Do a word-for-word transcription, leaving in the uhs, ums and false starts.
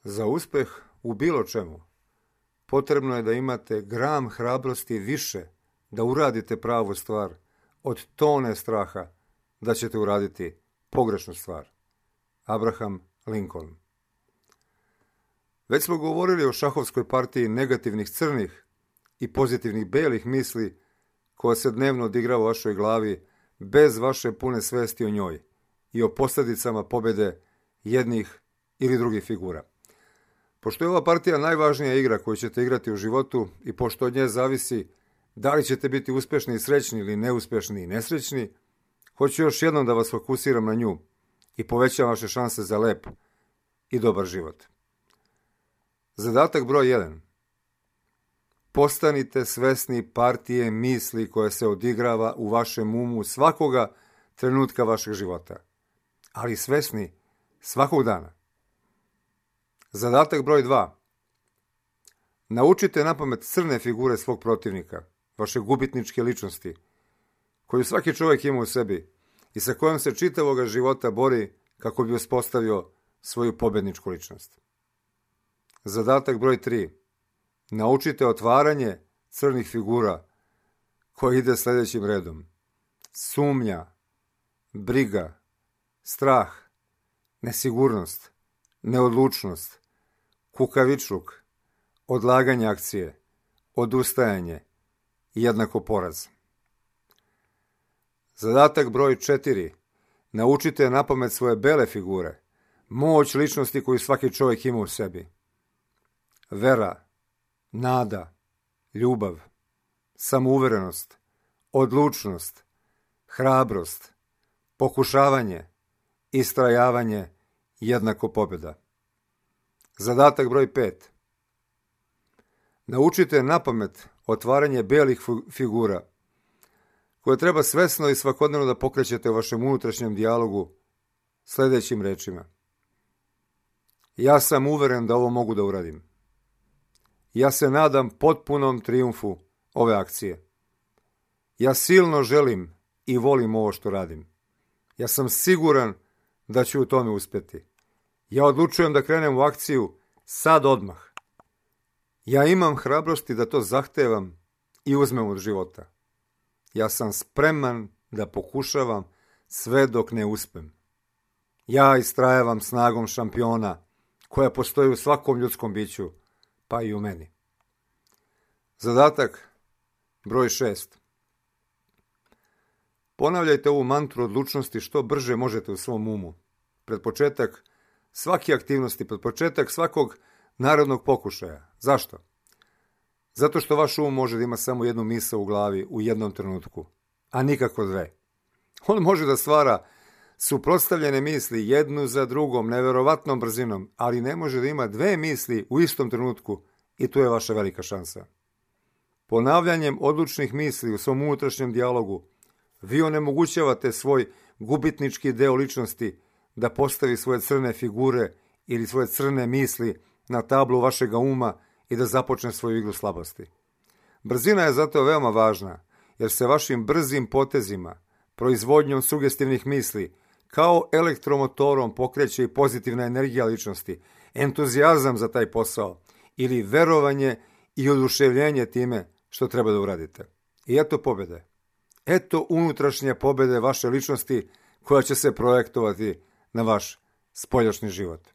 Za uspeh u bilo čemu potrebno je da imate gram hrabrosti više da uradite pravu stvar od tone straha da ćete uraditi pogrešnu stvar. Abraham Lincoln. Već smo govorili o šahovskoj partiji negativnih crnih i pozitivnih belih misli koja se dnevno odigrava u vašoj glavi bez vaše pune svesti o njoj i o posljedicama pobjede jednih ili drugih figura. Pošto je ova partija najvažnija igra koju ćete igrati u životu i pošto od nje zavisi da li ćete biti uspješni i srećni ili neuspješni i nesrećni, hoću još jednom da vas fokusiram na nju i povećam vaše šanse za lep i dobar život. Zadatak broj jedan. Postanite svesni partije misli koja se odigrava u vašem umu svakoga trenutka vašeg života, ali svesni svakog dana. Zadatak broj dva. Naučite napamet crne figure svog protivnika, vaše gubitničke ličnosti, koju svaki čovjek ima u sebi i sa kojom se čitavoga života bori kako bi uspostavio svoju pobjedničku ličnost. Zadatak broj tri. Naučite otvaranje crnih figura koji ide sljedećim redom. Sumnja, briga, strah, nesigurnost, neodlučnost, kukavičluk, odlaganje akcije, odustajanje i jednako poraz. Zadatak broj četiri. Naučite napamet svoje bele figure, moć ličnosti koju svaki čovjek ima u sebi. Vera, nada, ljubav, samouverenost, odlučnost, hrabrost, pokušavanje, istrajavanje, jednako pobjeda. Zadatak broj pet. Naučite napamet otvaranje belih figura, koje treba svesno i svakodnevno da pokrećete u vašem unutrašnjem dijalogu sljedećim rečima. Ja sam uveren da ovo mogu da uradim. Ja se nadam potpunom trijumfu ove akcije. Ja silno želim i volim ovo što radim. Ja sam siguran da ću u tome uspjeti. Ja odlučujem da krenem u akciju sad odmah. Ja imam hrabrosti da to zahtevam i uzmem od života. Ja sam spreman da pokušavam sve dok ne uspem. Ja istrajavam snagom šampiona koja postoji u svakom ljudskom biću, pa i u meni. Zadatak broj šest. Ponavljajte ovu mantru odlučnosti što brže možete u svom umu. Pred početak svake aktivnosti, pred početak svakog narodnog pokušaja. Zašto? Zato što vaš um može da ima samo jednu misao u glavi u jednom trenutku, a nikako dve. On može da stvara suprotstavljene misli jednu za drugom, neverovatnom brzinom, ali ne može da ima dve misli u istom trenutku i tu je vaša velika šansa. Ponavljanjem odlučnih misli u svom unutrašnjem dijalogu vi onemogućavate svoj gubitnički deo ličnosti da postavi svoje crne figure ili svoje crne misli na tablu vašega uma i da započne svoju igru slabosti. Brzina je zato veoma važna, jer se vašim brzim potezima, proizvodnjom sugestivnih misli, kao elektromotorom pokreće i pozitivna energija ličnosti, entuzijazam za taj posao ili verovanje i oduševljenje time što treba da uradite. I eto pobjede. Eto unutrašnje pobjede vaše ličnosti koja će se projektovati na vaš spoljašnji život.